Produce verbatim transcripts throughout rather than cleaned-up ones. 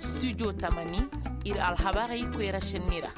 Studio tamani, ir alhabarey koyra šenni ra.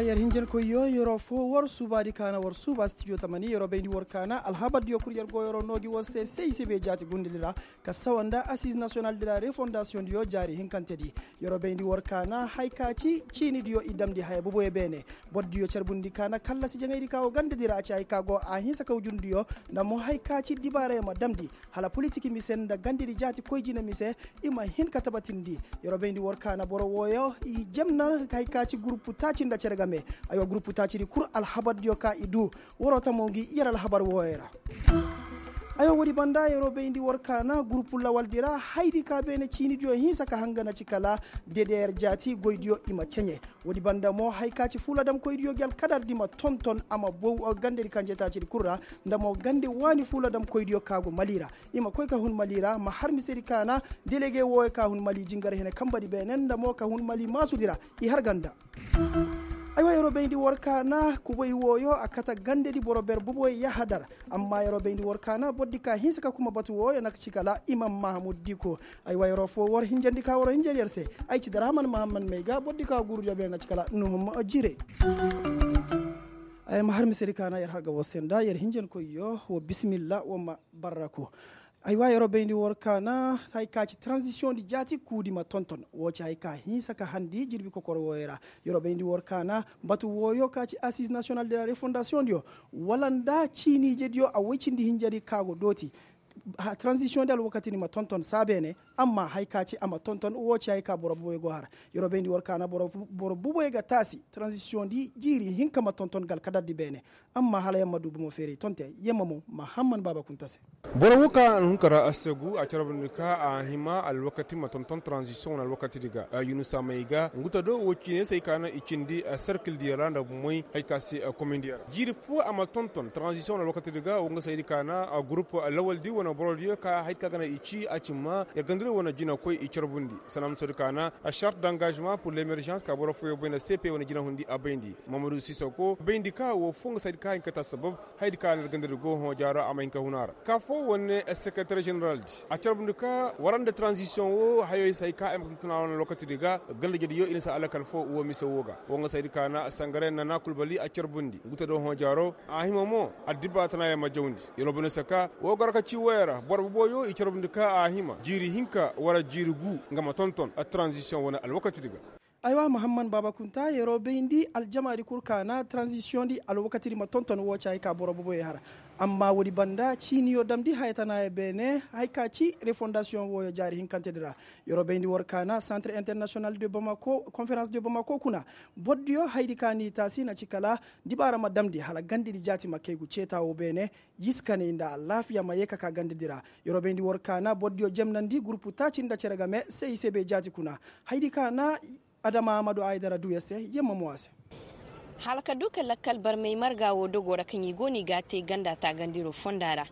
Yer hinjankoyyo yeroo foo war suubaadi kaana war suuba studio tamani yeroo bayndi war kaana alhabardiyo kul yer go yeroo noo gi war se se i se bay jaati gundadi ra, ka sawa nda assize national de la refondasiyoŋ diyo jaari hinkantedi. Yeroo bayndi war kaana hay ka ci ciini diyo i damndi haya boboyo beene. Boro diyo carbundi kaana kallasi jaŋaydi ka go ganda di ra a ci hay ka go a hinsa ka wujur diyo, nda mo hay ka ci dibaarayo ma damndi hala politik mise nda gandadi jaati koy jina mise, i ma hin ka tabatindi. Yeroo bayndi war kaana boro wooyo i jemna hay ka ci gurupu taaci nda cere game. Aywa gurupu taacidi kul alhabardiyo ka i duu. Waroo tamoo ngi yer alhabar wooyo ra. Aywa woodi banda yeroo bayndi war kaana gurupu lawaldi ra haydi ka beene ciinidiyo hinsa ka hanga na ci kala dedeyer jaati goydiyo i ma ceɲe. Woodi banda mo hay ka ci fuuladamkoydiyo gi alkadardi ma tonton a ma bow gandedi kanjetaacidi kul ra, nda mo gande waani fuuladamkoydiyo ka go mali ra. I ma koy ka hun mali ra ma har misedi kaana delege wooyo ka hun mali jingar hene kambadi beene nda mo ka hun mali maasudi ra. I har ganda. Aywa yeroo bayndi war kaana kubay wooyo a kate gandedi boro ber boboyo yahadar. Amma yeroo bayndi war kaana borodi ka hinsa ka kuma batu wooyo na ci kala imam mahamud diko. Aywa yeroo foo war hinjandi ka war hinjandi yer se. Ay ci darahaman mahamad may ga borodi ka guurudiyo beene na ci kala nuhum jire. Ay ma har misedi kaana yer har ga war se nda yer hinjankoyyo wo bisimilla wo ma barraku. Aywa yeroo bayndi war kaana hay ka ci taranzisiyoŋ di jaati kuudi ma tonton woo ci hay ka hinsa ka handi jirbi kokor wooyo ra. Yeroo bayndi war kaana batu wooyo ka ci assize nasiyonal de la refondasiyoŋ diyo wala nda ciiniijediyo a woy cindi hinjadi ka go dooti. Taranzisiyoŋ di alwakatidi ma tonton saa beene. Amma hay ka ci a ma tonton woo ci hay ka boro boboyo go har. Yeroo bayndi war kaana boro boboyo ga taasi taranzisiyoŋ di jiiri hinka ma tonton ga alkadardi beene. Amma hala yer ma du bomo feeray tonte yer ma mo mahamman baaba kunta se. Boro woo ka a na hun ka ra a segu a carbundi ka a hima alwakati ma tonton taranzisiyoŋ wane alwakatidi ga yunusa may ga ngu ta do woo ciiney se ay ka na i cindi serkildiyo ra nda bomey hay ka se komindiyo ra jiiri foo a ma tonton taranzisiyoŋ wane alwakatidi ga woo nga se haydi ka na gurup lawaldi wane borodiyo ka haydi ka ga na i ci a ci ma yer gandadi wane jinakoy i carbundi sanamusoodi ka na shart d'engagement pur lemergence ka boro fooyo bay nda cp wane jinahundi a bayndi. Mamadu sisako bayndi ka woo foo nga se haydi ka hin ka te assabab haydi ka na ir gandadi go hõ jaaro a ma hin ka hun a ra ka foo wane sekereter ženeraldi a carbundi ka war nda taranzisiyoŋ woo hayo se hay ka ay ma ka tuntun a wane lokatidi ga ganda jediyo i na si alakal foo woo mise woo ga woo nga se haydi ka na sangaray nana kulbali a carbundi ngu ta do hõ jaaro a hima mo addibaatanayaŋ ma jawndi. Yeroo bane se ka woo goro ka ci wooyo ra boro boboyo i carbundi ka a hima jiiri hinka war jiiri gu nga ma tonton taranzisiyoŋ wane alwakatidi ga. Aywa mahamman baaba kunta yeroo bayndi aljamaadi kul ka na taranzisiyoŋ di alwakatidi ma tonton woo ci hay ka boro boboyo har. Amma woodi banda ciiniyo damndi haya tanaayo beene hay ka ci refondasiyoŋ wooyo jaari hinkantedi ra. Yeroo bayndi war ka na santre internasiyonal de bamako konferans de bamako kuna borodiyo haydi ka n'i taasi na ci kala dibaara ma damndi hala gandadi jaati ma kay gu ceeta woo beene. Yiskaney nda alaafiya ma yee ka ka gandadi ra. Yeroo bayndi war ka na borodiyo jemnandi gurupu taaci nda cere game se i se bay jaati kuna. Haydi ka na adama amadu aydara duu yer se yer ma mo a se. Hala ka duu ka lakkal barmey marga woo dogoo ra kaŋ i go no i g'a te ganda taagandiro fonda ra.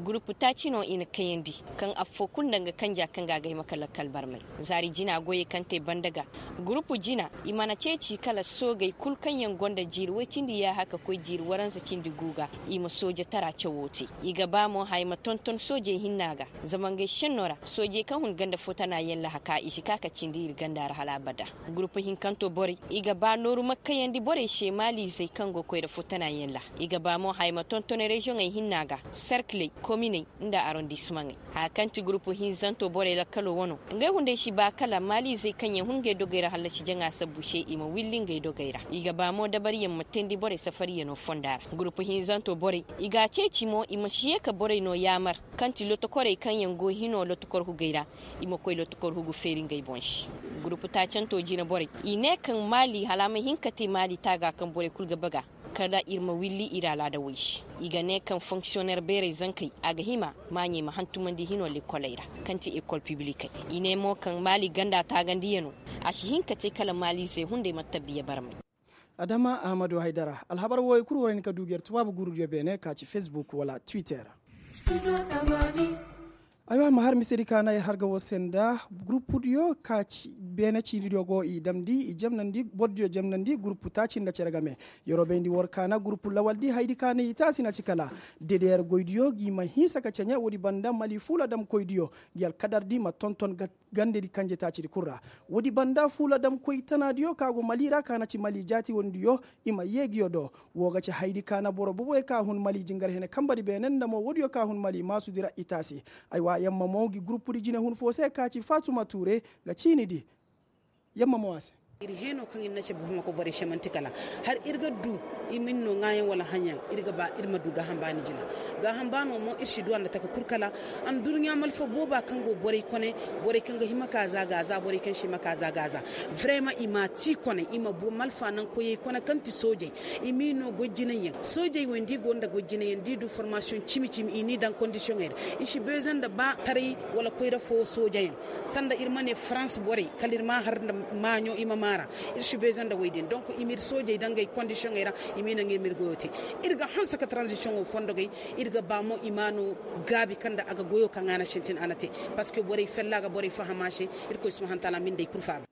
Gurupu taaci no i na kayandi kaŋ affoo kul nda nga kanja kaŋ ga a ga hima ka lakkal barmey zaari jina goyey kaŋ te banda ga. Gurupu jina i mana ceeci kala soogey kul kaŋ yaŋ go nda jiiri woy cindi yaaha ka koy jiiri waranza cindi gu ga. I ma soojatara cawoo te i ga ba mo haya ma tonton soojey hinna ga. Zama ngey šennoo ra soojey kaŋ hun ganda foo tana yaŋ laha ka i si ka ka cindi ir ganda ra hala abada. Gurupu hinkanto borey i ga ba nooru ma kayandi borey se maaliizey kaŋ go koyra foo tana yaŋ ra. I ga ba mo haya ma tonton reziyoŋey hinna ga serkiley kominey nda arondisimaŋey. Haya kaŋ ti gurupu hinzanto borey lakkaloo wano ngey hunday si ba kala maaliizey kaŋ yaŋ hun ngey dogey ra hallasi jaŋa sabbu se i ma willi ngey dogey ra. I ga ba mo dabariyaŋ ma teendi borey safariyanoo fonda ra gurupu hinzanto borey i g'a ceeci mo i ma si yee ka borey noo yaamar kaŋ ti lotokorey kaŋ yaŋ go hinoo lotokor hugey ra. I ma koy lotokor hugu feeri ngey boŋ se. Gurupu taacantoo jina borey i ne kaŋ maali hala a ma hin ka te maali taaga kaŋ borey kul ga baga kala ir ma willi ir alaada woy se. I ga ne kaŋ fonksiyoner beerey zankey a ga hima maaɲey ma hantumandi hinoo lekoley ra kaŋ ti ekol piblikey. I ne mo kaŋ maali ganda taagandiyanoo a si hin ka te kala maaliizey hunday ma tabbiya barmey. Adama ahmadu haydara alhabar wooyo kul war hin ka duu ga yer tubaabu guurudiyo beene ka ci fesbuk wala twitter. Aywa ma har misedi ka na yer har ga woo se nda gurupudiyo ka ci beene ciinidiyo go i damndi i jemnandi bordiyo jemnandi gurupu taaci nda cere game. Yeroo bayndi war ka na gurupu lawaldi haydi ka na i taasi na ci kala dedeyer goydiyo ngi ma hinsa ka ceɲe woodi banda mali fuula damkoydiyo ngi alkadardi ma tonton gandedi kanje taacidi kul ra. Woodi banda fuula damkoy tanaadiyo ka go mali ra ka na ci mali jaati wondiyo i ma yee ngiyo do. Woo ga ci haydi ka na boro boboyo ka hun mali jingar hene kambadi beene nda mo woodiyo ka hun mali maasudi ra i taasi. Aywa yamma mo ngi gurupudi jinehun foo se ka ci faatuma tuure ga ciinidi. Yamma mo a se. Ir heenoo kaŋ ir na cabe bamako borey se man'ti kala har ir ga du. Ir ma ir noo ŋaayaŋ wala haŋyaŋ ir ga ba ir ma du gaaham baani jina. Gaaham baanoo mo ir si du a nda taka kul kala. Anduruɲa malfa booba kaŋ go borey kone, borey kaŋ ga hima ka za ga za borey kaŋ si hima ka za ga za. Vrema i m'a ti kone i ma malfa naŋ koyey kone kaŋ ti soojey. I m'i noo goy jinayyaŋ soojey wey nda i go nda goy jinayyaŋ da i du formasiyoŋ cimi cimi i n'i daŋ kondisiyoŋey ra. I si beezoŋ nda ba taray wala koyra foo soojeyaŋ. Sanda ir ma ne farans borey kala ir m'a har nda maaɲo i ma maara. Ir si beezoŋ nda wey din donk i m'ir soojey daŋ gay kondisiyoŋey ra. I m'i naŋ ir m'ir goyoo te. Ir ga hanse ka taranzisiyoŋo fondo gay. Ir ga ba mo i m'a noo gaabi kaŋ nda a ga goyoo kaŋ a na sintin a na te. Parceque borey fella ga borey faham a se. Irkoy subahana taala m'ir nd'ey kul faaba.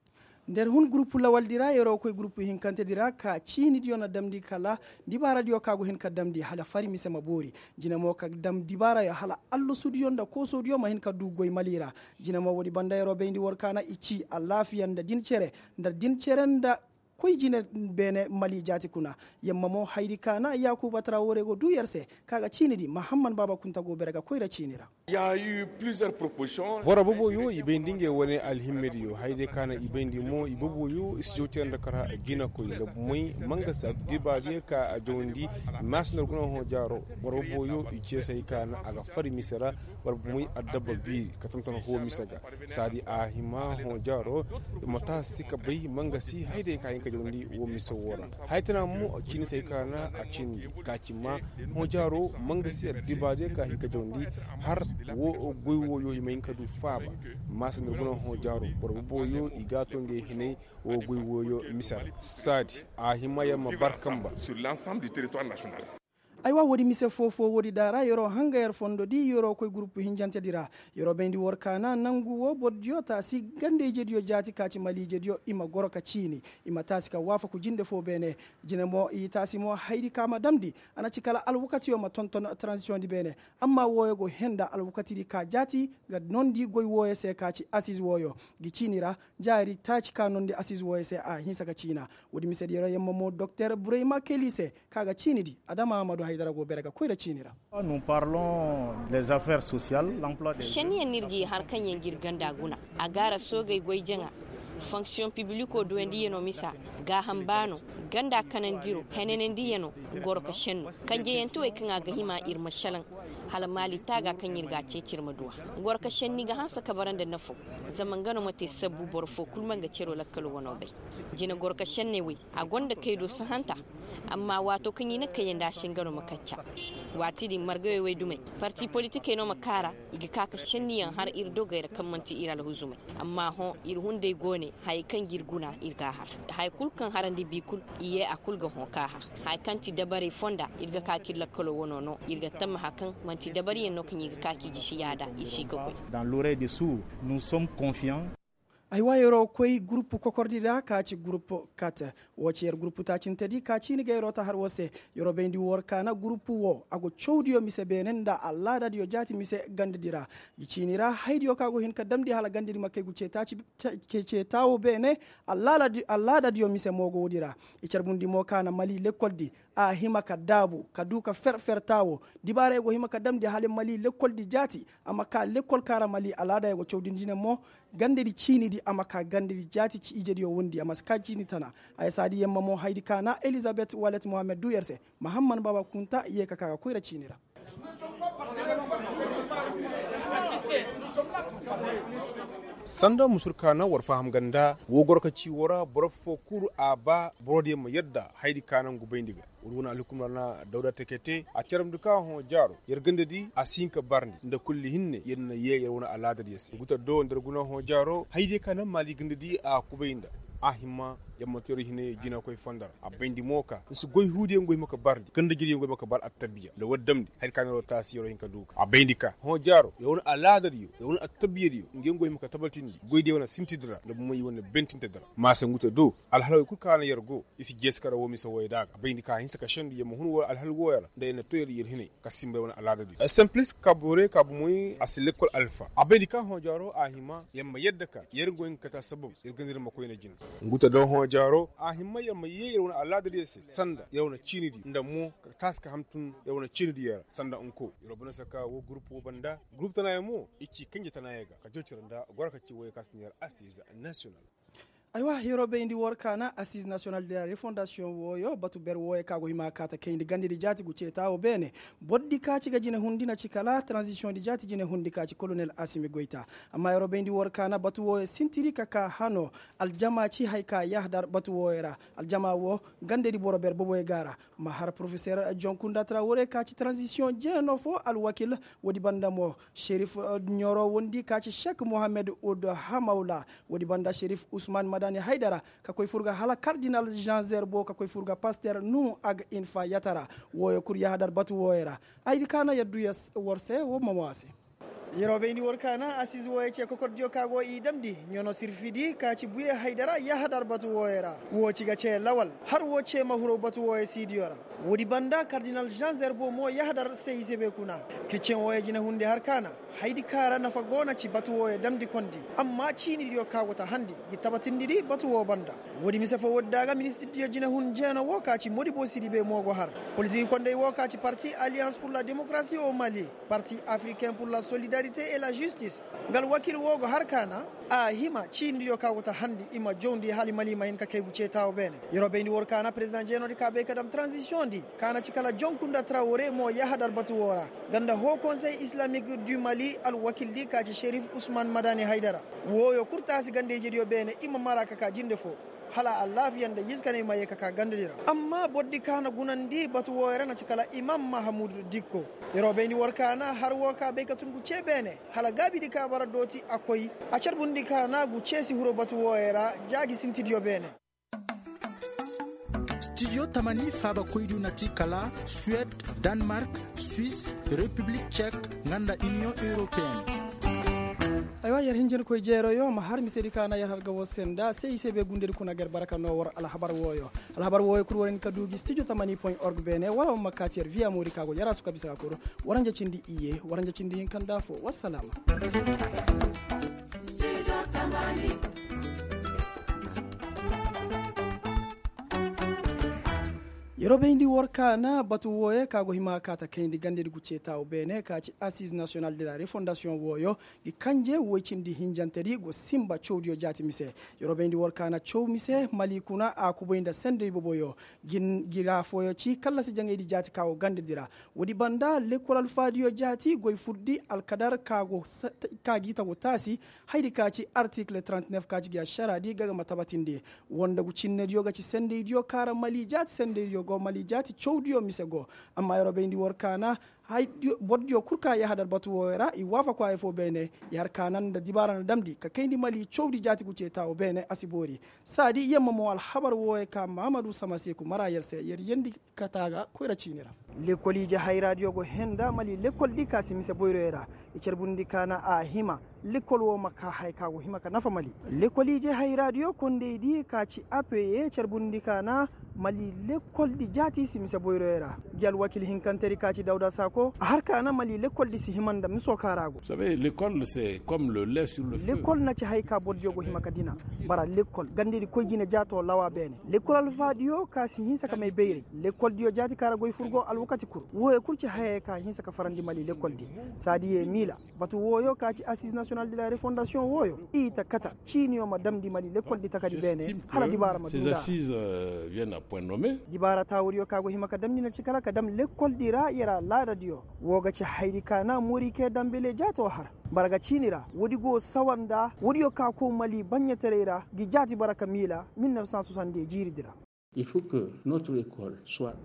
Nda ir hun gurupu lawaldi ra yeroo koy gurupu hinkantedi ra ka ciinidiyo na damndi kala dibaaradiyo ka go hin ka damndi hala fari mise ma boori. Jine mo ka dam dibaarayo hala allasudiyo nda koosodiyo ma hin ka du goy mali ra. Jine mo woodi banda yeroo bayndi war ka na i ci alaafiya nda din cere nda din cere nda koy jine beene mali jaati kuna. Yamma mo hayri ka na yaakuba tara woorey go duu yer se ka ga ciinidi mahamman baaba kunta go bere ga koyra ciini ra. Boro boboyo i bayndi ngey wane alhimmediyo hayday ka na i bayndi mo i boboyo i si jaw tee nda kara jinakoy nda bumey ma nga si addibaadiyo ka a jawandi. Maasi nda guna hõ jaaro boro boboyo i ceesay ka na a ga fari mise ra. Boro bumey addabba biiri ka tonton hoo mise ga saadi a hima hõ jaaro. I ma taasi ka bay ma nga si hayday ka hin ka jawandi woo mise woo ra. Haya tana mo ciini se ay ka na a cindi ka ci ma hõ jaaro ma nga si addibaadiyo ka hin ka jawandi har woo goy wooyo i ma hin ka du faaba. Maasa nda guna hõ jaaro boro booyo i g'a to ngey hinay woo goy wooyo mise ra saadi a hima yer ma bar kamba. Aywa woodi mise foo-foo woodi da ra yeroo hanga yer fondodi yeroo koy gurupu hinjantedi ra. Yeroo bayndi war ka na nangu woo borodiyo taasi ganda-ijediyo jaati ka ci maliijediyo i ma goro ka ciini. I ma taasi ka waafaku jinde foo beene. Jine mo i taasi mo hayri ka ma damndi a na ci kala alwakatiyo ma tonton taranzisiyoŋdi beene. Amma wooyo go henda alwakatidi ka jaati ga noondi goy wooyo se ka ci asiz wooyo. Ngi ciini ra jaari taaci ka noondi asiz wooyo se a hinsa ka ciina. Woodi misedi yeroo yamma mo doktor burayma keli se ka ga ciinidi adama amadu haydara go bere ga koyra ciini ra. Šenniyaŋ no ir g'i har kaŋ yaŋ g'ir ganda guna. A gaara soogey goy jaŋa fonksiyoŋ pibilikoo duwandiyanoo misa gaaham baanoo ganda kanandiro henanandiyanoo. Goro ka šennu kanjeyantewey kaŋ a ga hima ir ma šelaŋ. Hala maali taaga kaŋ ir g'a ceeci ir ma duw'a. Goro ka šenni ga hanse ka bara nda nafoo. Zama nga no ma te sabbu boro foo kul ma nga ceroo lakkaloo wanoo bay. Jine goro ka šenney wey a gonda kay do sahanta. Amma waatoo kaŋ i na kayandi a se nga no ma kacca. Waati din margawey wey dumey parti politikey no ma kaara. I ga ka ka šenniyaŋ har ir dogey ra kaŋ man'ti ir alhuzumey. Amma hõ ir hunday go ne hayey kaŋ g'ir guna ir g'a har. Haya kul kaŋ harandi bi kul i yee a kul ga hõ k'a har. Haya kaŋ ti dabarey fonda ir ga ka k'ir lakkaloo wanoo no ir ga tammaha kaŋ man'ti dabariyaŋ no kaŋ i ga ka k'i jisi yaada i si ka koy. Dans l'oreille de suu nous sommes confiants. Aywa yeroo koy gurupu kokordi ra ka ci gurupu kat. Woo ci yer gurupu taacintedi ka ciini ga yeroo ta har woo se. Yeroo bayndi war ka na gurupu woo a go cawdiyo mise beene nda alaadadiyo jaati mise gandadi ra. Ngi ciini ra haydiyo ka go hin ka damndi hala gandadi ma kay gu cee taawo beene. Alaadadiyo mise mo go woodi ra. I carbundi mo ka na mali lekkoldi a hima ka daabu ka duu ka fer fer taawo. Dibaarey go hima ka damndi hala mali lekkoldi jaati. A ma ka lekkol ka ra mali alaada ya go cawdindi ne mo. Gandadi ciinidi a ma ka gandadi jaati ci ijediyo wondi a ma si ka ciini tana. Haya saadi yamma mo haydi ka na elizabet walet mohammed duu yer se. Mahamman baaba kunta yee ka ka ga koyra ciini ra. Sanda musur ka na war faham ganda woo goro ka ci woo ra boro foo kul a ba borodiyo ma yadda haydi ka na ngu bayndi ga. War wane alhukum ra na dawda tekete a caramdi ka hõ jaaro yer gandadi a si hin ka barndi nda kulli hinne yer na yee yer wane alaadadiyo se guta do nda yer guna hõ jaaro haydiyo ka na maali gandadi a kubay nda. A himma yamma teeroo hinay jinakoy fondo ra a bayndi mo ka nsi goy huudiyaŋ go hima ka barndi ganda jiryaŋ go hima ka bar attabiya nda war damndi hari ka neeroo taasi yeroo hin ka duu ka a bayndi ka hõ jaaroo yer wane alaadadiyo yer wane attabiyadiyo nga yaŋ go hima ka tabatindi goydiyo wane sintidi ra nda bomo i wane bentintedi ra maasa nguta do alhalawey kul ka na yer go i si jeesi kara woo mise wooyey da a ga a bayndi ka a hinsa ka sendu yer ma hun woo alhal wooyey ra nda yer na too yer yer hinay ka simba yer wane alaadadiyo simplis ka borey ka bomoy a si lekkol alfa a bayndi ka hõ jaaroo a hima yer ma yadda ka yer nga go hin ka kate assabab yer ganda yer ma koyne jina. Nguta do hõ jaaroo a himma yer ma yee yer wane alaadadiyo se sanda yer wane ciinidiyo nda mo ka taasi ka hamtun yer wane ciinidiyo ra sanda nko yer wa bana se ka woo gurup woo banda gurup tanaayaŋ mo i ci kanje tanaayaŋ ga ka jawcira nda goro ka ci wooyey ka si ne yer asiize nasiyonal. Aywa yeroo bayndi war kaana asiize nasiyonal de la refondasiyoŋ wooyo batu ber wooyo ka go hima ka ta kayndi gandedi jaati gu ceeta wo beene. Bordi ka ci ga jinehundi na ci kala taranzisiyoŋdi jaati jinehundi ka ci kolonel asimi goyta. Amma yeroo bayndi war kaana batu wooyo sintiri ka ka hano aljama ci hay ka yahadar batu wooyo ra. Aljama wo gandedi boro ber boboyo ga a ra. Ma har porofeser jonkunda tara wooyo ka ci taranzisiyoŋ jeeno fo alwakil. Woodi banda mo serif ɲoro wondi ka ci sek mohammed ud hamawla. Woodi banda serif usman madani haydara ka koy fur ga hala kardinal jean zerbo ka koy fur ga paster nuhu ag infa yatara. Wooyo kul yahadar batu wooyo ra. Ay di kaana yaddu war se wo ma mo a se. Yeroo bayndi war kaana asiize wooyo ce kokordiyo ka go i damndi ɲono sirfidi ka ci buye haydara yahadar batu wooyo ra. Woo ci ga ce lawal har woo ce ma huru batu wooyo siidiyo ra. Woodi banda kardinal jean zerbo mo yahadar se i se bay kuna. Kiriceŋ wooyo jinehundi har kaana haydi kaŋ ra nafa go na ci batu wooyo damndi kondi. Amma ciinidiyo ka go ta handi gi tabatindidi batu woo banda. Woodi mise foo woodi daaga ministirdiyo jinehun jeeno woo ka ci modibo sidibe mo go har. Politiki kondey woo ka ci parti aliyans pur la demokarasi o mali, parti afriken pur la solidarite e la jistis, nga alwakil woo go har kaana. A hima ciinidiyo ka go ta handi i ma jawndi hala i mali ma hin ka kay gu ceeta wo beene. Yeroo bayndi war kaana perezidaŋ jeenoodi ka bay ka dam taranzisiyoŋdi ka na ci kala jonkunda trawore mo yahadar batu woo ra. Nga nda hoo konsey islamik du mali alwakildi ka ci serif usman madani haydara. Wooyo kul taasi ganda-ijediyo beene i ma mara ka ka jinde foo. Hala alaafiya nda yizikaney ma yee ka ka gandadi ra. Amma bordi ka na gunandi batu wooyo ra na ci kala imam mahamud dikko. Yeroo bayndi war kaana har woo ka bay ka tun gu cee beene. Hala gaabidi ka bara dooti a koy. A carbundi kaana gu cee si huru batu wooyo ra. Jaaji sintidiyo beene. Stidiyo tamani faabakoydiyo na ti kala suwed, danmark, swis, repiblik cek, nga nda iniyoŋ europeyen. Aywa yer hinjinkoy jeeroyo ma har misedi ka na yer har ga woo se nda se i se bay gundedi kuna ga yer bara ka noo war alhabar wooyo. Alhabar wooyo kul war hin ka duu gi stidiyo tamani point org beene wala war ma kaati yer viya moodi ka go yer a su ka bisa ka kuru. Waranja cindi iyye waranja cindi hinka nda foo wassalaama. Yeroo bayndi war kaana batu wooyo ka go hima ka ta kayndi gandedi gu ceeta wo beene ka ci asiize nasiyonal de la refondasiyoŋ wooyo. Gi kanje woy cindi hinjantedi go sinba cawdiyo jaati mise. Yeroo bayndi war kaana caw mise mali kuna a kubay nda sendey boboyo. Gi ra fooyo ci kallasi jaŋaydi jaati ka go gandedi ra. Woodi banda lekkol alfaadiyo jaati goy furdi alkadar ka gi ta go taasi. Haydi ka ci artikil trente-neuf ka ci gi ašaraadi ga ga ma tabatindi. Woo nda gu cinnediyo ga ci sendeydiyo ka ra mali jaati sendeydiyo go mali jaati cawdiyo mise go. Amma yeroo bayndi war kaana bordiyo kul ka yahadar batu wooyo ra i waafaku haya foo beene. Yer kaana nda dibaara na damndi ka kayndi mali cawdi jaati gu ceeta wo beene a si boori. Saadi yamma mo alhabar wooyo ka mahamadu samaseeku mara yer se yer yendi kata ga koyra ciini ra. Lekkol ije hayraadiyo go henda mali lekkoldi ka si mise boyroyo ra. I carbundi kaana a hima lekkol woo ma kaa haya ka go hima ka nafa mali. Lekkol ije hayraadiyo kondeydi ka ci apeye carbundi kaana mali lekkoldi jaati si mise boyroyo ra. Gi alwakil hinkantedi ka ci dawda saako a har kaana mali lekkoldi si hima nda misoo ka ra go. Lekkol na ci haya ka bordiyo go hima ka dina. Bara lekkol gandedi koy jine jaatoo lawa beene. Lekkol alfaadiyo ka si hinsa ka may bayray. Lekkoldiyo jaati ka ra goy fur go alwakati kul wooyo kul ci hayey ka hinsa ka farandi mali lekkoldi. Saadiye miila batu wooyo ka ci asiize nasiyonal de la refondasiyoŋ wooyo i ta kata ciiniyo ma damndi mali lekkoldi takadi beene. Hala dibaara ma duu nda. Dibaara taawudiyo ka go hima ka damndi na ci kala ka dam lekkoldi ra yer a laadadiyo. Woo ga ci haydi kaana morike dambele jaatoo har. Bara ga ciini ra woodi go sawa nda woodiyo ka kow mali baɲɲataray ra gi jaati bara ka miila mil nef san soisante de jiiridi ra.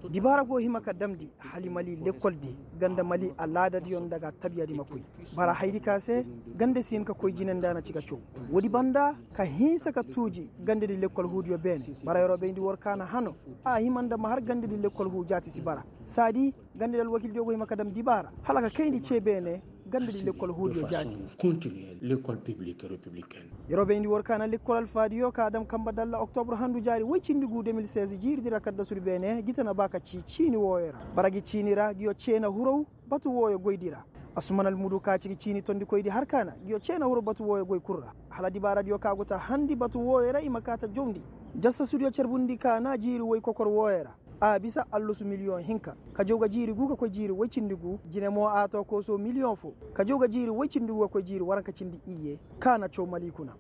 Dibaara go hima ka damndi hali mali lekkol di ganda mali alaadadiyo nda ga tabiya di ma koy. Bara haydi ka se gande si hin ka koy jine nda na ci ga caw. Woodi banda ka hinsa ka tuuji gande di lekkol huudiyo beene bara yeroo bayndi war kaana hano a hima nda ma har gande di lekkol huu jaati si bara. Saadi gande di alwakildiyo go hima ka dam dibaara hala ka kayndi cee beene gande di lekkol huudiyo jaati. Yeroo bayndi war kaana lekkol alfaadiyo ka a dam kanba dalla oktobur handu jaari woy cindi guu de mil seize jiiri di ra kaddasudi beene gi ta na ba ka cii ciini wooyo ra. Bara gi ciini ra nguyo cee na huraw batu wooyo goydi ra. Asuman almudu ka ci gi ciini tondikoydi har kaana nguyo cee na huraw batu wooyo goy kul ra. Hala dibaaradiyo ka go ta handi batu wooyo ra i ma kaa ta jawndi. Jassasudiyo carbundi kaana jiiri woy kokor wooyo ra. A bisa allusu miliyoŋ hinka ka jaw ga jiiri guu ka koy jiiri woy cindi guu jine mo a too koosoo miliyoŋ foo ka jaw ga jiiri woy cindi guu ka koy jiiri waranka cindi iyye. Ka na caw mali kuna.